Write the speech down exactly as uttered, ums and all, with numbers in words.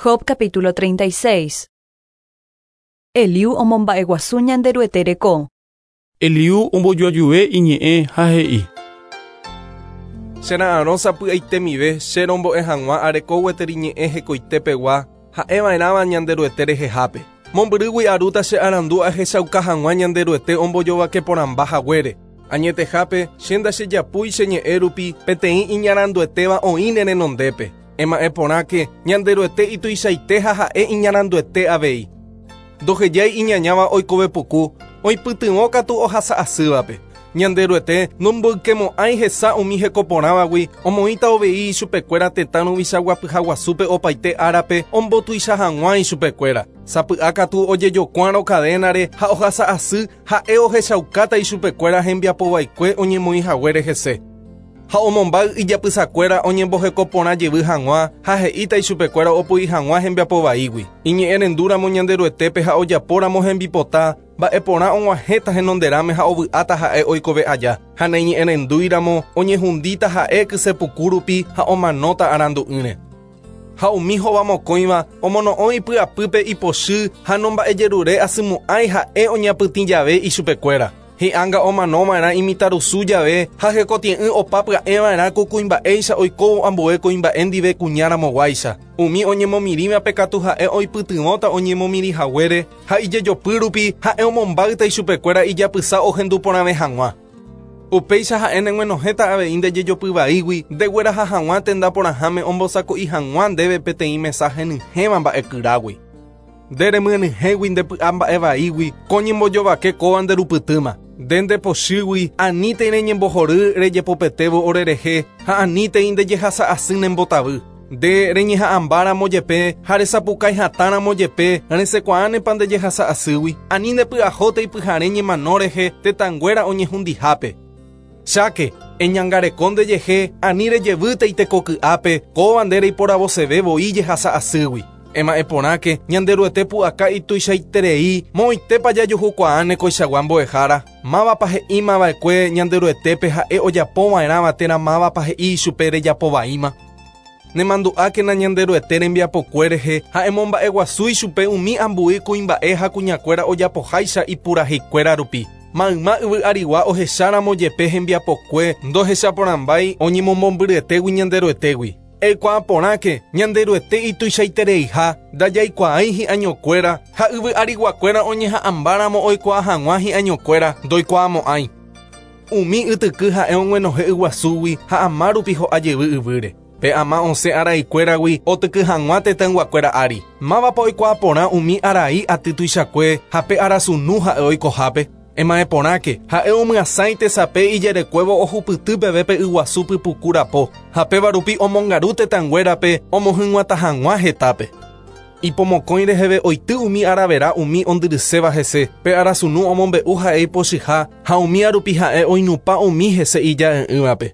Job capítulo treinta y seis. Eliú omomba'eguasu Ñanderuete reko. Eliú ombojoajuve iñe'ẽ ha he'i. Chera'arõ sapy'aitemive che rombo'e hag̃ua areko gueteri ñe'ẽ hekoitepegua ha'eva'erãva Ñanderuete rehehápe. Mombyrýgui arúta che arandu ahechauka hag̃ua Ñanderuete ombojovake porãmba haguére. Añetehápe che ndachejapúi che ñe'ẽ rupi peteĩ iñaranduetéva oĩ ne renondépe. Ema'ẽ porãke Ñanderuete ituichaite ha ha'e iñaranduete avei. Ndohejái iñañáva oikove puku, oipytyvõ katu ohasa asývape. Ñanderuete nomboykemo'ãi hesa umi hekoporãvagui, omoĩta ovei ichupekuéra tetã ruvichaguapyhaguasúpe opaite árape ombotuicha hag̃ua ichupekuéra. Sapy'a katu ojejokuárõ cadénare ha ohasa asy ha'e ohechaukáta ichupekuéra hembiapovaikue oñemoĩ haguére hese. Ha omombáy ijapysakuéra oñembohekoporã jevy hag̃ua ha he'íta ichupekuéra opoi hag̃ua hembiapovaígui. Iñe'ẽrendúramo Ñanderuetépe ha ojapóramo hembipota, mba'eporã og̃uahẽta henonderãme ha ovy'áta ha'e oikove aja. Ha naiñe'ẽrendúiramo oñehundíta ha'e kysepuku rupi ha omanóta arandu'ỹre. Ha umi hovamokõiva omono'õ ipy'apýpe ipochy ha nomba'ejerure asymo'ãi ha'e oñapytĩ jave ichupekuéra. Hi'ánga omanova'erã imitarusu jave ha hekotie'ỹ opa pya'eva'erã ku kuimba'éicha oikóvo ambue kuimba'e ndive kuñaramoguáicha. Umi oñemomirĩvape katu ha'e oipytyvõta oñemomirĩ haguére ha ijejopy rupi ha'e omombáyta ichupekuéra ijapysa ohendu porãve hag̃ua. Upéicha ha'e neg̃uenohẽta avei ndejejopyvaígui ndegueraha hag̃ua tenda porãháme ombosako'i hag̃ua ndéve peteĩ mesa henyhẽva mba'ekyrágui. Nde remyenyhẽgui ndepy'a mba'evaígui ko ñembojovake kóva nderupytýma. Nde ndepochýgui anítei reñembohory rejepopetévo orerehe ha anítei ndejehasa asy nembotavy. Nde reñeha'ãmbáramo jepe ha resapukái hatãramo jepe resẽkuaánepa ndejehasa asýgui. Ani ndepy'ahótei pyhare ñemano rehe tetãnguéra oñehundihápe. Cháke, eñangareko ndejehe ani rejevýtei tekoky'ápe kóva nde reiporavoseve voi jehasa asýgui. Ema'ẽ porãke Ñanderuete pu'aka ituichaiterei moõitépa jajuhukuaáne koichagua mbo'ehára. Mávapa he'ímava'ekue Ñanderuetépe ha'e ojapova'erãva térã mávapa he'i ichupe rejapovaíma. Nemandu'ákena Ñanderuete rembiapokue rehe ha emomba'eguasu ichupe umi ambue kuimba'e ha kuñakuéra ojapoháicha ipuraheikuéra rupi. Mayma yvy arigua ohecháramo jepe hembiapokue ndohechaporãmbái oñemomombyryetégui Ñanderuetégui. Eikuaa porãke Ñanderuete ituichaitereiha ndajaikuaái hi'añokuéra ha yvy ariguakuéra oñeha'ãmbáramo oikuaa hag̃ua hi'añokuéra ndoikuaamo'ãi. Umi ytyky ha'e og̃uenohe yguasúgui ha ama rupi ho'a jevy yvýre. Pe ama osẽ araikuéragui otyky hag̃ua tetãyguakuéra ári. Mávapa oikuaa porã umi arai aty tuichakue ha pe arasunu ha'e oikohápe. Ema'ẽ porãke ha'e omyasãi tesape ijerekuévo ohupyty peve pe yguasu pypuku rapo ha péva rupi omongaru tetãnguérape omohyg̃uatã hag̃ua hetápe. Ipomokõi reheve oity umi aravera umi ondyryséva hese, pe arasunu omombe'u ha'e ipochyha ha umi arupi ha'e oinupã umi hese ija'e'ỹvape.